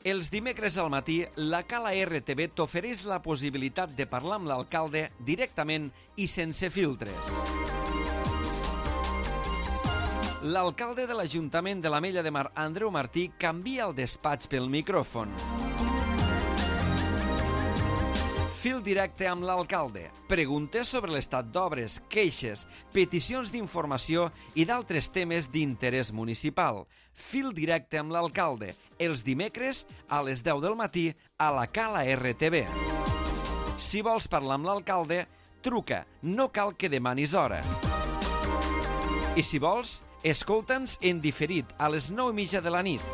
Els dimecres al matí, la Cala RTV t'ofereix la possibilitat de parlar amb l'alcalde directament i sense filtres. L'alcalde de l'Ajuntament de l'Ametlla de Mar, Andreu Martí, canvia el despatx pel micròfon. Fil directe amb l'alcalde. Preguntes sobre l'estat d'obres, queixes, peticions d'informació i d'altres temes d'interès municipal. Fil directe amb l'alcalde. Els dimecres a les 10 del matí a la Cala RTV. Si vols parlar amb l'alcalde, truca. No cal que demanis hora. I si vols, escolta'ns en diferit a les 9:30 de la nit.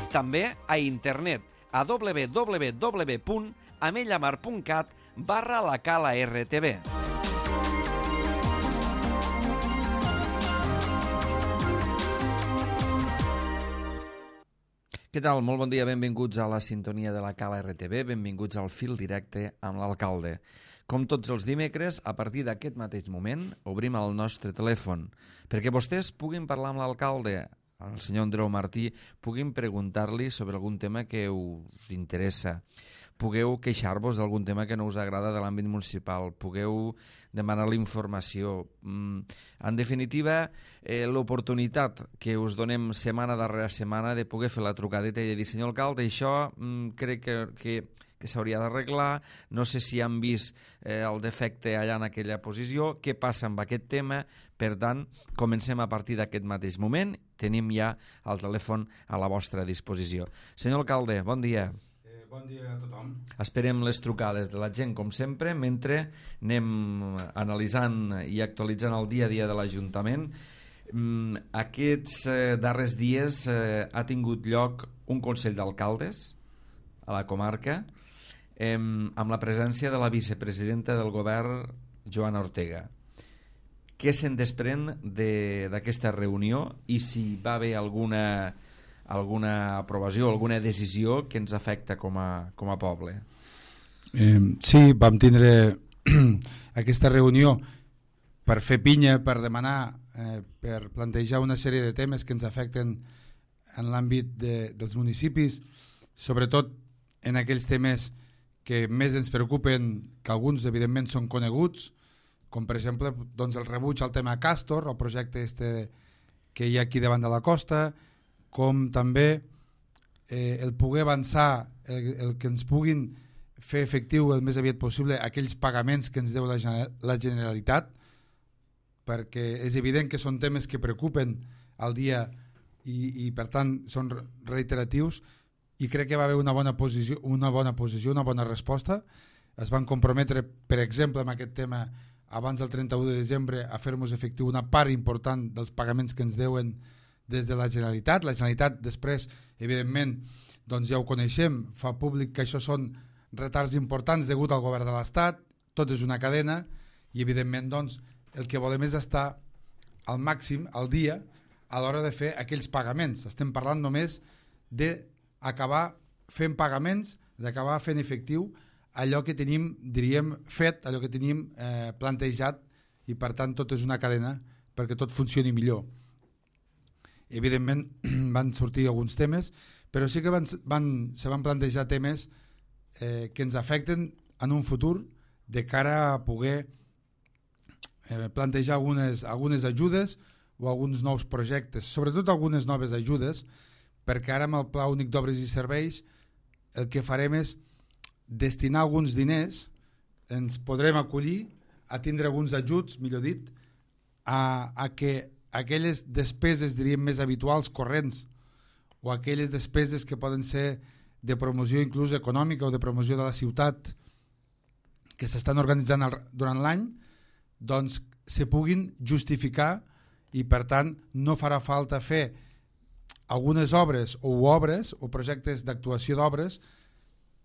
També a internet a www.amellamar.cat/la Cala RTV. Què tal? Molt bon dia, benvinguts a la sintonia de la Cala RTV, benvinguts al fil directe amb l'alcalde. Com tots els dimecres, a partir d'aquest mateix moment, obrim el nostre telèfon perquè vostès puguin parlar amb l'alcalde, el senyor Andreu Martí, puguin preguntar-li sobre algun tema que us interessa, pugueu queixar-vos d'algun tema que no us agrada de l'àmbit municipal, pugueu demanar-li informació. En definitiva, l'oportunitat que us donem setmana darrere setmana de poder fer la trucadeta i de dir, senyor alcalde, això crec que s'hauria d'arreglar, no sé si han vist el defecte allà en aquella posició, què passa amb aquest tema. Per tant, comencem a partir d'aquest mateix moment, tenim ja el telèfon a la vostra disposició. Senyor alcalde, bon dia. Bon dia a tothom. Esperem les trucades de la gent, com sempre, mentre anem analitzant i actualitzant el dia a dia de l'Ajuntament. Aquests darrers dies ha tingut lloc un Consell d'Alcaldes a la comarca amb la presència de la vicepresidenta del govern, Joana Ortega. Què se'n desprèn d'aquesta reunió i si va haver alguna aprovació, alguna decisió que ens afecta com a poble? Sí, vam tindre aquesta reunió per fer pinya, per demanar, per plantejar una sèrie de temes que ens afecten en l'àmbit dels municipis, sobretot en aquells temes que més ens preocupen, que alguns evidentment són coneguts, com per exemple doncs el rebuig al tema Castor, el projecte que hi ha aquí davant de la costa, com també el poder avançar, el que ens puguin fer efectiu el més aviat possible aquells pagaments que ens deu la Generalitat, perquè és evident que són temes que preocupen al dia i per tant són reiteratius, i crec que va haver una bona posició, una bona resposta. Es van comprometre, per exemple, amb aquest tema abans del 31 de desembre a fer-nos efectiu una part important dels pagaments que ens deuen des de la Generalitat. La Generalitat després, evidentment, doncs ja ho coneixem, fa públic que això són retards importants degut al govern de l'Estat, tot és una cadena i evidentment doncs, el que volem és estar al màxim, al dia, a l'hora de fer aquells pagaments. Estem parlant només d'acabar fent pagaments, d'acabar fent efectiu allò que tenim, diríem, fet, allò que tenim plantejat, i per tant tot és una cadena perquè tot funcioni millor. Evidentment van sortir alguns temes, però sí que se van plantejar temes que ens afecten en un futur de cara a poder plantejar algunes ajudes o alguns nous projectes, sobretot algunes noves ajudes, perquè ara amb el Pla Únic d'Obres i Serveis el que farem és destinar alguns diners, ens podrem acollir a tindre alguns ajuts, millor dit, a que aquelles despeses, diríem, més habituals, corrents, o aquelles despeses que poden ser de promoció inclús econòmica o de promoció de la ciutat que s'estan organitzant durant l'any, doncs se puguin justificar i per tant no farà falta fer algunes obres o projectes d'actuació d'obres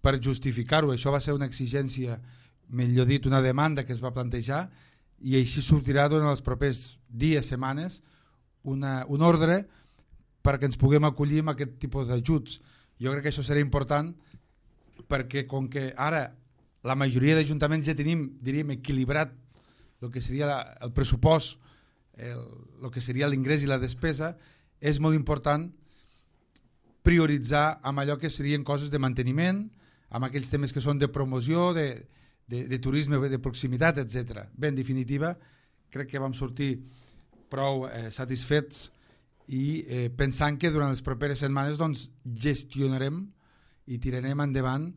per justificar-ho. Això va ser una exigència, millor dit, una demanda que es va plantejar, i així sortirà durant els propers dies, setmanes, un ordre perquè ens puguem acollir amb aquest tipus d'ajuts. Jo crec que això serà important perquè com que ara la majoria d'ajuntaments ja tenim, diríem, equilibrat el que seria el pressupost, el que seria l'ingrés i la despesa, és molt important prioritzar amb allò que serien coses de manteniment, amb aquells temes que són de promoció, de turisme de proximitat, etc. Bé, en definitiva, crec que vam sortir prou satisfets i pensant que durant les properes setmanes doncs, gestionarem i tirarem endavant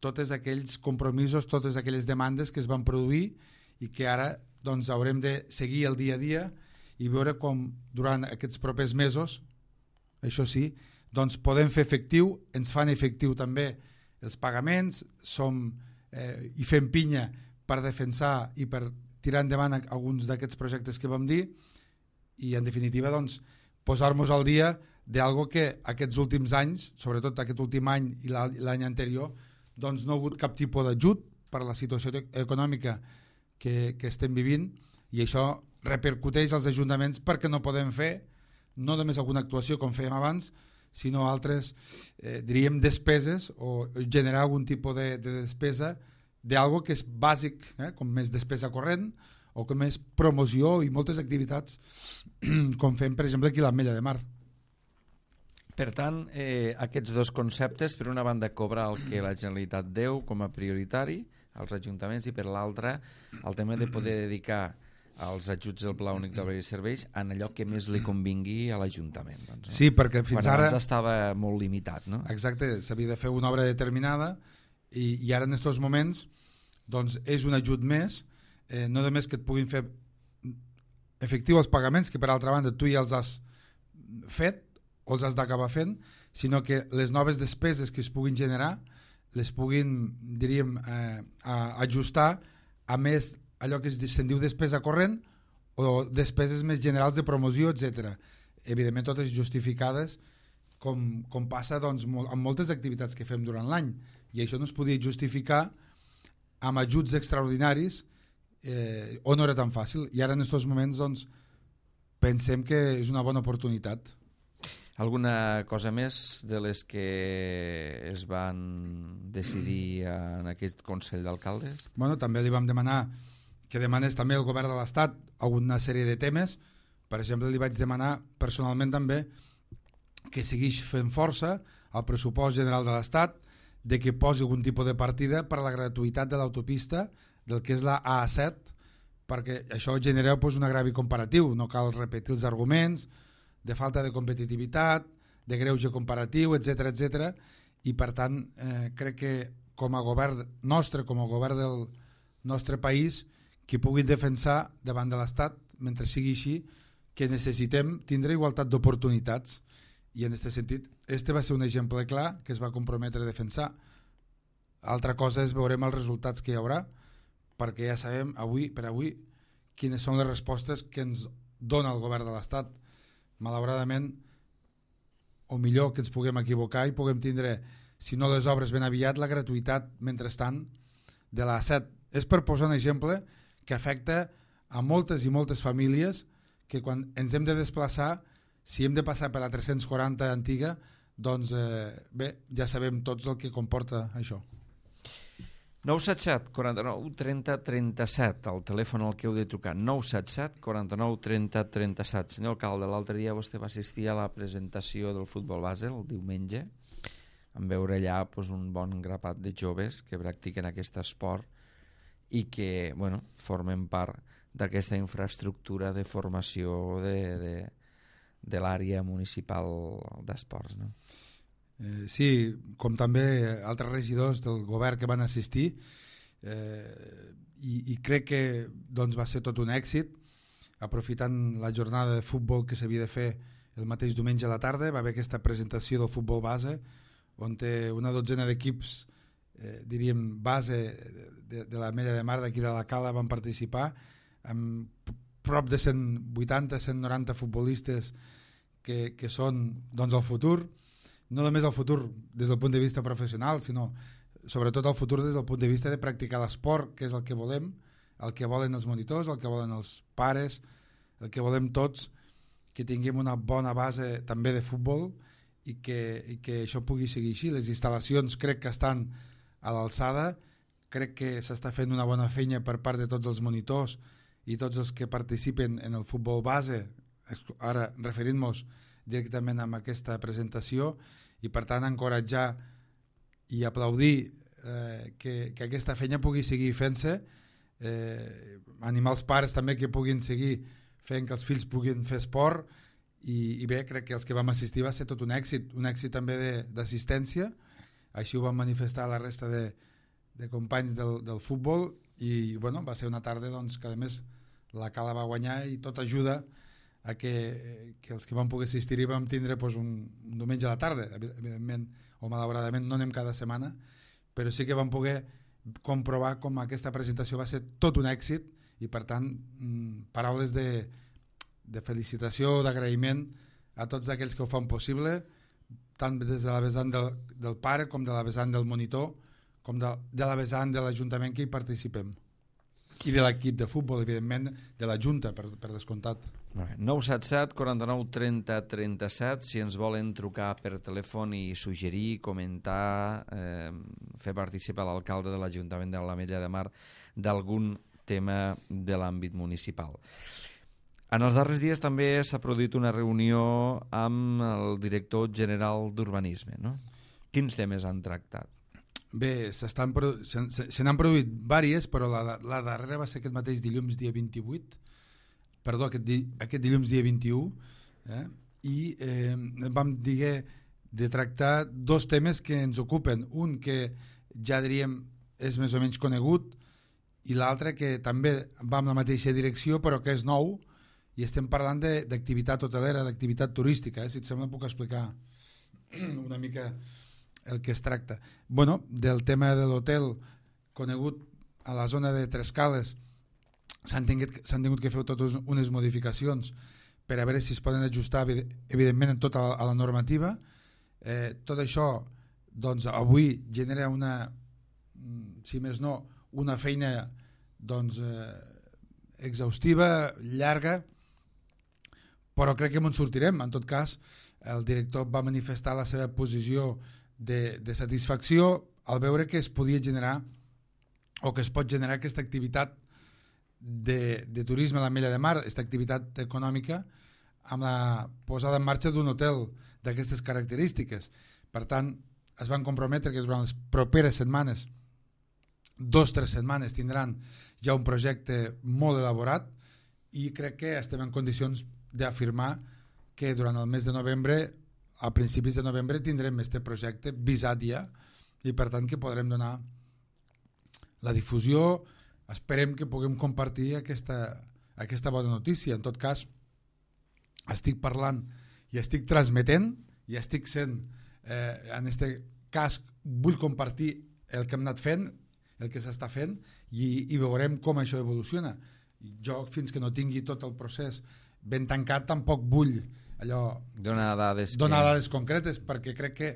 tots aquells compromisos, totes aquelles demandes que es van produir i que ara doncs, haurem de seguir el dia a dia i veure com durant aquests propers mesos, això sí, doncs podem fer efectiu, ens fan efectiu també els pagaments, i fem pinya per defensar i per tirar endavant alguns d'aquests projectes que vam dir i en definitiva doncs, posar-nos al dia d'algo que aquests últims anys, sobretot aquest últim any i l'any anterior, doncs no ha hagut cap tipus d'ajut per la situació econòmica que estem vivint i això repercuteix als ajuntaments perquè no podem fer no només alguna actuació com fèiem abans, sinó altres, diríem, despeses o generar algun tipus de despesa d'algo que és bàsic, com més despesa corrent o com més promoció i moltes activitats com fem, per exemple, aquí a l'Ametlla de Mar. Per tant, aquests dos conceptes, per una banda cobrar el que la Generalitat deu com a prioritari als ajuntaments i per l'altra el tema de poder dedicar als ajuts del Pla Únic d'Obres i Serveis en allò que més li convingui a l'Ajuntament. Doncs, no? Sí, perquè fins ara... Abans estava molt limitat, no? Exacte, s'havia de fer una obra determinada i ara en aquests moments doncs és un ajut més, no només que et puguin fer efectiu els pagaments, que per altra banda tu ja els has fet o els has d'acabar fent, sinó que les noves despeses que es puguin generar les puguin, diríem, ajustar a més allò que se'n diu despesa corrent o despeses més generals de promoció, etc. Evidentment totes justificades com passa doncs, amb moltes activitats que fem durant l'any i això no es podia justificar amb ajuts extraordinaris o no era tan fàcil i ara en aquests moments doncs, pensem que és una bona oportunitat. Alguna cosa més de les que es van decidir en aquest Consell d'Alcaldes? Bueno, també li vam demanar que demanés també el govern de l'Estat alguna sèrie de temes. Per exemple, li vaig demanar personalment també que segueix fent força al pressupost general de l'Estat, de que posi algun tipus de partida per a la gratuïtat de l'autopista del que és la A7, perquè això genera doncs, un agrevi comparatiu, no cal repetir els arguments de falta de competitivitat, de greuge comparatiu, etc etc. I per tant crec que com a govern nostre, com a govern del nostre país, que puguin defensar davant de l'Estat, mentre sigui així, que necessitem tindre igualtat d'oportunitats. I en aquest sentit, este va ser un exemple clar que es va comprometre a defensar. Altra cosa és veurem els resultats que hi haurà, perquè ja sabem per avui quines són les respostes que ens dona el govern de l'Estat. Malauradament, o millor que ens puguem equivocar i puguem tindre, si no les obres ben aviat, la gratuïtat, mentrestant, de la A7. És per posar un exemple que afecta a moltes i moltes famílies que quan ens hem de desplaçar, si hem de passar per la 340 antiga, doncs bé, ja sabem tots el que comporta això. 977 49 30 37, el telèfon al que heu de trucar, 977 49 30 37. Senyor alcalde, l'altre dia vostè va assistir a la presentació del futbol base el diumenge, en veure allà doncs, un bon grapat de joves que practiquen aquest esport i que bueno, formen part d'aquesta infraestructura de formació de l'àrea municipal d'esports, no? Sí, com també altres regidors del govern que van assistir i crec que doncs, va ser tot un èxit. Aprofitant la jornada de futbol que s'havia de fer el mateix diumenge a la tarda, va haver aquesta presentació del futbol base on una dotzena d'equips diríem base de l'Ametlla de Mar d'aquí de la Cala van participar amb prop de 180-190 futbolistes que són doncs, el futur, no només el futur des del punt de vista professional, sinó sobretot el futur des del punt de vista de practicar l'esport, que és el que volem, el que volen els monitors, el que volen els pares, el que volem tots, que tinguem una bona base també de futbol i que això pugui seguir així. Les instal·lacions crec que estan a l'alçada, crec que s'està fent una bona feina per part de tots els monitors i tots els que participen en el futbol base, ara referint-nos directament amb aquesta presentació i per tant encoratjar i aplaudir que aquesta feina pugui seguir fent-se, animar els pares també que puguin seguir fent que els fills puguin fer esport i bé, crec que els que vam assistir va ser tot un èxit també d'assistència, així ho van manifestar la resta de companys del futbol i bueno, va ser una tarda doncs, que a més la Cala va guanyar i tot ajuda a que els que van poder assistir-hi vam tindre doncs, un diumenge a la tarda, evidentment o malauradament no anem cada setmana, però sí que vam poder comprovar com aquesta presentació va ser tot un èxit i per tant paraules de felicitació, d'agraïment a tots aquells que ho fan possible, tant des de la vessant del pare com de la vessant del monitor com de la vessant de l'Ajuntament que hi participem i de l'equip de futbol, evidentment de la Junta, per descomptat. 977 49 30 37 si ens volen trucar per telèfon i suggerir, comentar, fer participar l'alcalde de l'Ajuntament de l'Ametlla de Mar d'algun tema de l'àmbit municipal. En els darrers dies també s'ha produït una reunió amb el director general d'Urbanisme, no? Quins temes han tractat? Bé, se n'han produït diverses, però la darrera va ser aquest mateix dilluns dia 28, perdó, aquest dilluns dia 21, i vam dir de tractar dos temes que ens ocupen, un que ja diríem és més o menys conegut i l'altre que també va en la mateixa direcció però que és nou i estem parlant d'activitat hotelera, d'activitat turística, si et sembla puc explicar una mica el que es tracta. Bueno, del tema de l'hotel conegut a la zona de Trescales s'han tingut que fer totes unes modificacions per a veure si es poden ajustar evidentment en tota la normativa. Tot això doncs, avui genera una, si més no, una feina doncs, exhaustiva, llarga, però crec que ens sortirem. En tot cas, el director va manifestar la seva posició de satisfacció al veure que es podia generar o que es pot generar aquesta activitat de turisme a l'Ametlla de Mar, aquesta activitat econòmica amb la posada en marxa d'un hotel d'aquestes característiques. Per tant, es van comprometre que durant les properes setmanes, 2-3 setmanes, tindran ja un projecte molt elaborat i crec que estem en condicions d'afirmar que durant el mes de novembre, a principis de novembre, tindrem aquest projecte visat ja i per tant que podrem donar la difusió. Esperem que puguem compartir aquesta bona notícia. En tot cas, estic parlant i estic transmetent i estic sent, en aquest cas vull compartir el que hem anat fent, el que s'està fent i veurem com això evoluciona. Jo fins que no tingui tot el procés ben tancat tampoc vull donar dades concretes perquè crec que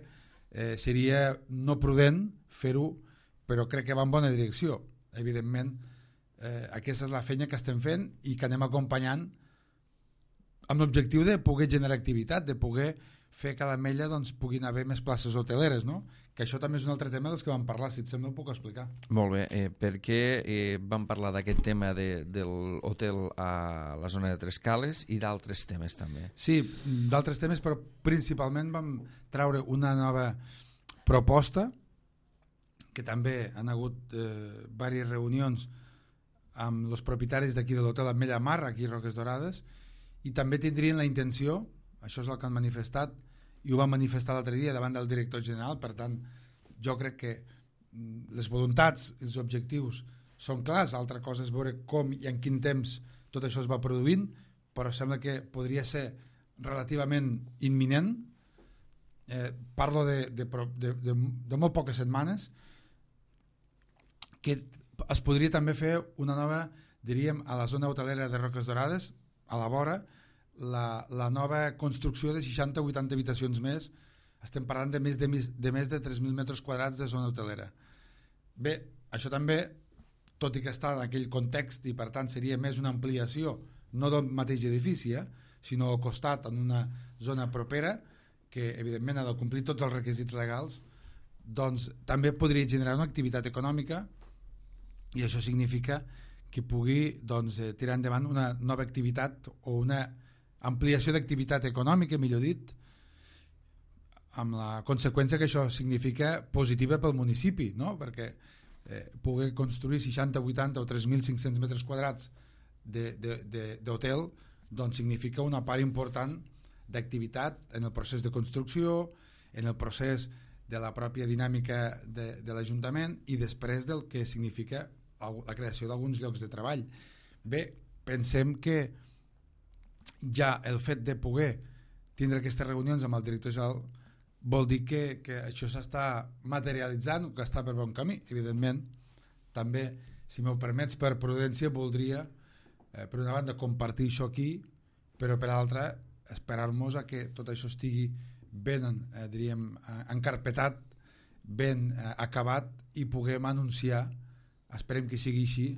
seria no prudent fer-ho, però crec que va en bona direcció. Evidentment, aquesta és la feina que estem fent i que anem acompanyant amb l'objectiu de poder generar activitat, de poder fer que a l'Ametlla doncs, puguin haver més places hoteleres, no? Que això també és un altre tema dels que vam parlar, si et sembla ho puc explicar. Molt bé, per què vam parlar d'aquest tema de l'hotel a la zona de Trescales i d'altres temes també? Sí, d'altres temes, però principalment vam treure una nova proposta que també han hagut diverses reunions amb els propietaris d'aquí de l'hotel Ametlla Mar, aquí a Roques Dorades, i també tindrien la intenció, això és el que han manifestat, i ho van manifestar l'altre dia davant del director general, per tant, jo crec que les voluntats, els objectius són clars, altra cosa és veure com i en quin temps tot això es va produint, però sembla que podria ser relativament imminent. Parlo de molt poques setmanes, que es podria també fer una nova, diríem, a la zona hotelera de Roques Dorades, a la vora, la nova construcció de 60 o 80 habitacions més. Estem parlant de més de 3.000 metres quadrats de zona hotelera. Bé, això també, tot i que està en aquell context i per tant seria més una ampliació, no del mateix edifici, sinó al costat, en una zona propera, que evidentment ha de complir tots els requisits legals, doncs també podria generar una activitat econòmica i això significa que pugui doncs, tirar endavant una nova activitat o una ampliació d'activitat econòmica, millor dit, amb la conseqüència que això significa positiva pel municipi, no? Perquè poder construir 60, 80 o 3.500 metres quadrats d'hotel doncs significa una part important d'activitat en el procés de construcció, en el procés de la pròpia dinàmica de l'Ajuntament i després del que significa la creació d'alguns llocs de treball. Bé, pensem que ja el fet de poder tindre aquestes reunions amb el director general vol dir que això s'està materialitzant, que està per bon camí. Evidentment, també, si m'ho permets, per prudència voldria, per una banda, compartir això aquí, però per l'altra, esperar-nos a que tot això estigui ben, diríem, encarpetat, ben acabat i puguem anunciar, esperem que sigui així,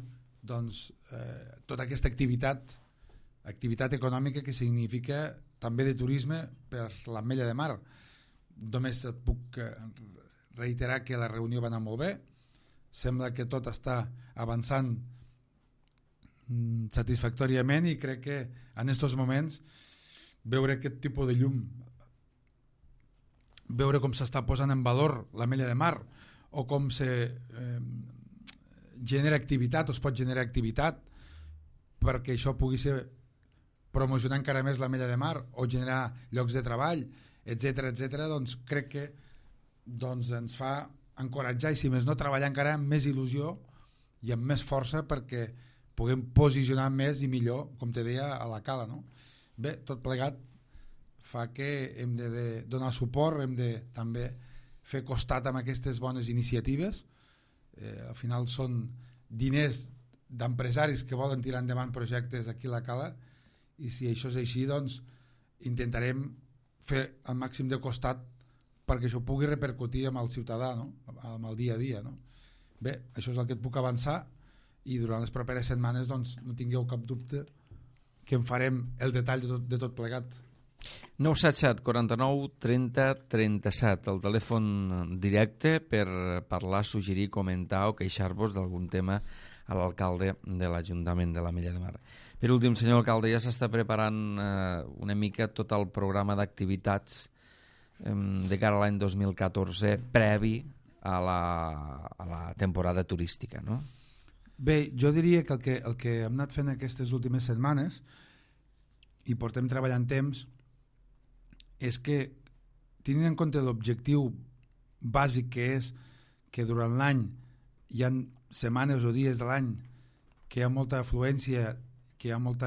doncs, tota aquesta activitat econòmica que significa també de turisme per l'Ametlla de Mar. Només et puc reiterar que la reunió va anar molt bé, sembla que tot està avançant satisfactòriament i crec que en aquests moments veure aquest tipus de llum, veure com s'està posant en valor l'Ametlla de Mar o com se genera activitat o es pot generar activitat perquè això pugui ser promocionar encara més l'Ametlla de Mar o generar llocs de treball, etc etc, doncs crec que doncs ens fa encoratjar i si més no treballar encara amb més il·lusió i amb més força perquè puguem posicionar més i millor, com te deia, a la cala, no? Bé, tot plegat fa que hem de donar suport, hem de també fer costat amb aquestes bones iniciatives. Al final són diners d'empresaris que volen tirar endavant projectes aquí a la cala i si això és així, doncs intentarem fer el màxim de costat perquè això pugui repercutir amb el ciutadà, no? Amb el dia a dia, no? Bé, això és el que et puc avançar i durant les properes setmanes doncs, no tingueu cap dubte que en farem el detall de tot plegat. 977 49 30 37, el telèfon directe per parlar, suggerir, comentar o queixar-vos d'algun tema a l'alcalde de l'Ajuntament de l'Ametlla de Mar. Per últim, senyor alcalde, ja s'està preparant una mica tot el programa d'activitats de cara a l'any 2014 previ a la temporada turística, no? Bé, jo diria que el que hem anat fent aquestes últimes setmanes i portem treballant temps és que tenint en compte l'objectiu bàsic que és que durant l'any hi ha setmanes o dies de l'any que hi ha molta afluència, que hi ha molt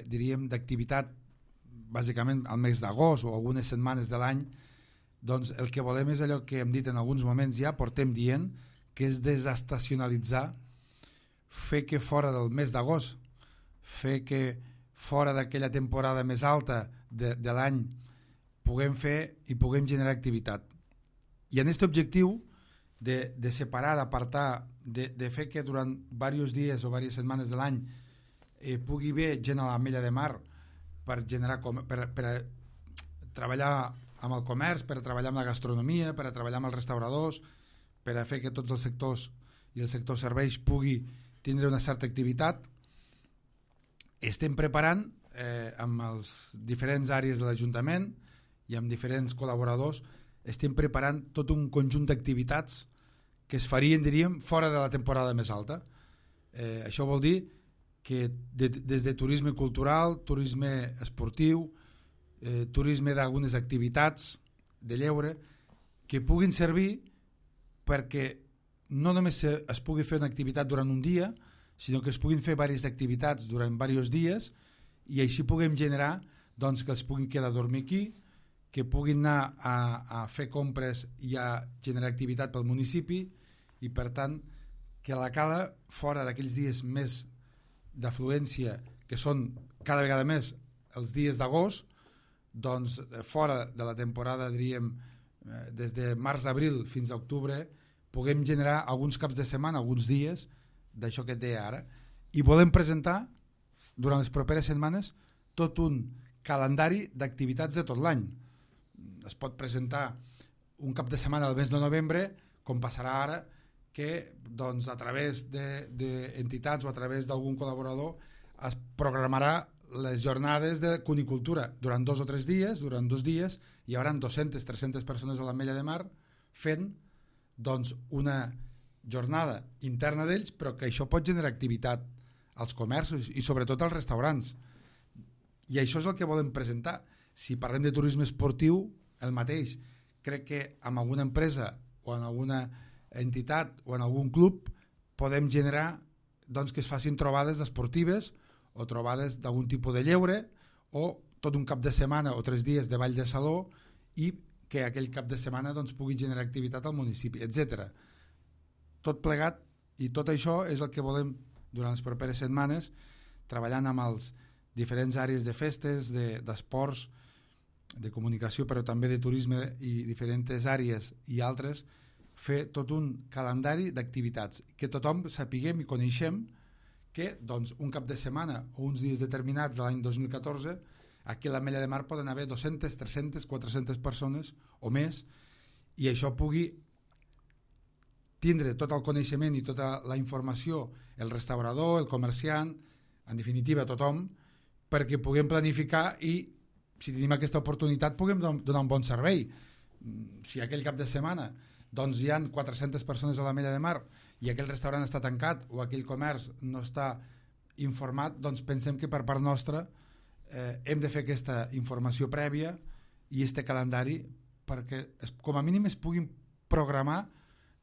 diríem d'activitat bàsicament al mes d'agost o algunes setmanes de l'any, doncs el que volem és allò que hem dit en alguns moments ja, portem dient, que és desestacionalitzar, fer que fora del mes d'agost, fer que fora d'aquella temporada més alta de l'any puguem fer i puguem generar activitat. I en aquest objectiu de separar, d'apartar, de fer que durant diversos dies o diverses setmanes de l'any pugui haver gent a l'Ametlla de Mar per generar per treballar amb el comerç, per treballar amb la gastronomia, per treballar amb els restauradors, per a fer que tots els sectors i el sector serveis pugui tindre una certa activitat. Estem preparant amb els diferents àrees de l'Ajuntament i amb diferents col·laboradors, estem preparant tot un conjunt d'activitats que es farien, diríem, fora de la temporada més alta. Això vol dir que des de turisme cultural, turisme esportiu, turisme d'algunes activitats de lleure, que puguin servir perquè no només es pugui fer una activitat durant un dia, sinó que es puguin fer diverses activitats durant diversos dies i així puguem generar doncs, que els puguin quedar a dormir aquí, que puguin anar a fer compres i a generar activitat pel municipi i per tant que la cala fora d'aquells dies més d'afluència que són cada vegada més els dies d'agost, doncs fora de la temporada diríem des de març-abril fins a octubre puguem generar alguns caps de setmana, alguns dies d'això que et deia ara i volem presentar durant les properes setmanes tot un calendari d'activitats de tot l'any. Es pot presentar un cap de setmana del mes de novembre com passarà ara que doncs, a través d'entitats o a través d'algun col·laborador es programarà les jornades de cunicultura durant 2 o 3 dies. Durant 2 dies hi haurà 200-300 persones a l'Ametlla de Mar fent doncs, una jornada interna d'ells, però que això pot generar activitat als comerços i sobretot als restaurants. I això és el que volem presentar. Si parlem de turisme esportiu, el mateix. Crec que amb alguna empresa o en alguna entitat o en algun club podem generar doncs, que es facin trobades esportives o trobades d'algun tipus de lleure o tot un cap de setmana o 3 dies de ball de saló i que aquell cap de setmana doncs, pugui generar activitat al municipi, etc. Tot plegat i tot això és el que volem durant les properes setmanes, treballant amb els diferents àrees de festes, d'esports, de comunicació, però també de turisme i diferents àrees i altres, fer tot un calendari d'activitats, que tothom sapiguem i coneixem que doncs, un cap de setmana o uns dies determinats de l'any 2014 aquí a l'Ametlla de Mar poden haver 200, 300, 400 persones o més i això pugui tindre tot el coneixement i tota la informació el restaurador, el comerciant, en definitiva tothom, perquè puguem planificar i si tenim aquesta oportunitat puguem donar un bon servei. Si aquell cap de setmana doncs hi ha 400 persones a l'Ametlla de Mar i aquell restaurant està tancat o aquell comerç no està informat, doncs pensem que per part nostra hem de fer aquesta informació prèvia i este calendari perquè com a mínim es puguin programar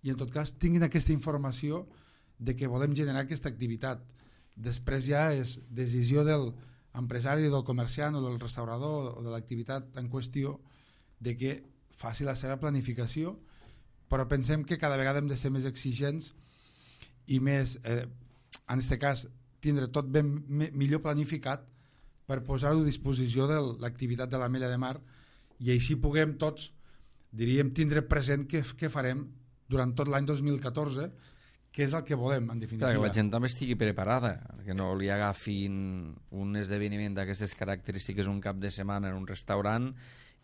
i en tot cas tinguin aquesta informació de que volem generar aquesta activitat. Després ja és decisió del empresari, del comerciant o del restaurador o de l'activitat en qüestió de que faci la seva planificació, però pensem que cada vegada hem de ser més exigents i més, en aquest cas, tindre tot ben millor planificat per posar-ho a disposició de l'activitat de l'Ametlla de Mar i així puguem tots, diríem, tindre present què farem durant tot l'any 2014, que és el que volem, en definitiva. Clar, que la gent també estigui preparada, que no li agafin un esdeveniment d'aquestes característiques un cap de setmana en un restaurant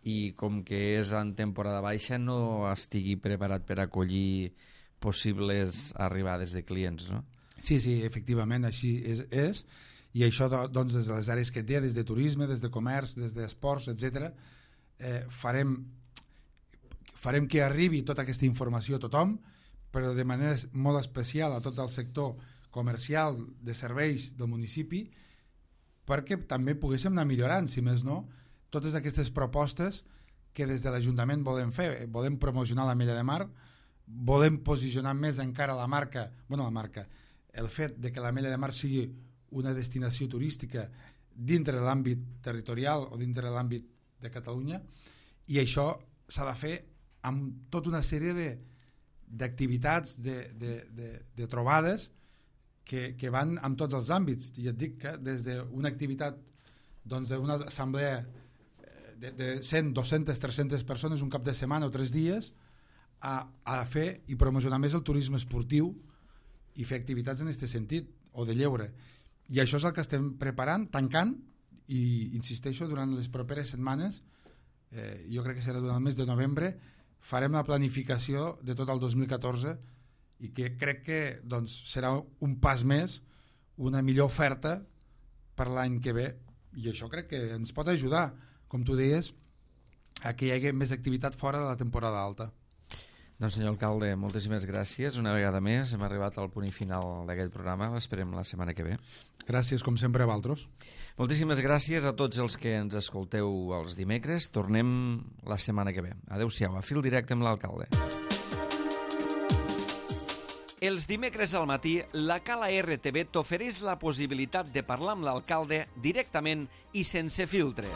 i com que és en temporada baixa no estigui preparat per acollir possibles arribades de clients, no? Sí, efectivament, així és i això doncs, des de les àrees que té, des de turisme, des de comerç, des d'esports, etc., farem que arribi tota aquesta informació a tothom, però de manera molt especial a tot el sector comercial de serveis del municipi, perquè també poguéssim anar millorant, si més no, totes aquestes propostes que des de l'Ajuntament volem fer. Volem promocionar l'Ametlla de Mar, volem posicionar més encara la marca, el fet de que l'Ametlla de Mar sigui una destinació turística dintre de l'àmbit territorial o dintre de l'àmbit de Catalunya, i això s'ha de fer amb tota una sèrie d'activitats, de trobades que van en tots els àmbits. I et dic que des d'una activitat d'una assemblea de 100, 200, 300 persones un cap de setmana o 3 dies a fer i promocionar més el turisme esportiu i fer activitats en aquest sentit, o de lleure. I això és el que estem preparant, tancant, i insisteixo, durant les properes setmanes, jo crec que serà durant el mes de novembre, farem la planificació de tot el 2014 i que crec que doncs, serà un pas més, una millor oferta per l'any que ve, i això crec que ens pot ajudar, com tu deies, a que hi hagi més activitat fora de la temporada alta. Doncs senyor alcalde, moltíssimes gràcies. Una vegada més hem arribat al punt i final d'aquest programa. L'esperem la setmana que ve. Gràcies, com sempre, a vosaltres. Moltíssimes gràcies a tots els que ens escolteu els dimecres. Tornem la setmana que ve. Adéu-siau, a Fil Directe amb l'alcalde. Els dimecres al matí, la Cala RTV t'ofereix la possibilitat de parlar amb l'alcalde directament i sense filtres.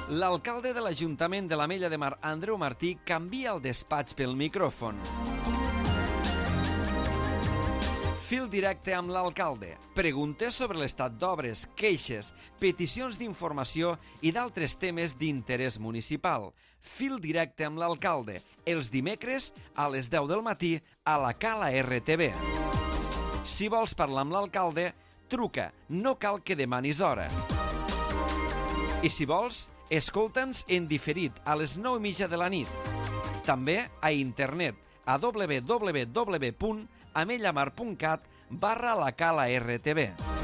L'alcalde de l'Ajuntament de l'Ametlla de Mar, Andreu Martí, canvia el despatx pel micròfon. Fil Directe amb l'alcalde. Preguntes sobre l'estat d'obres, queixes, peticions d'informació i d'altres temes d'interès municipal. Fil Directe amb l'alcalde. Els dimecres a les 10 del matí a la Cala RTV. Si vols parlar amb l'alcalde, truca. No cal que demanis hora. I si vols, escolta'ns en diferit a les 9:30 de la nit. També a internet a www.amellamar.cat /la Cala RTV.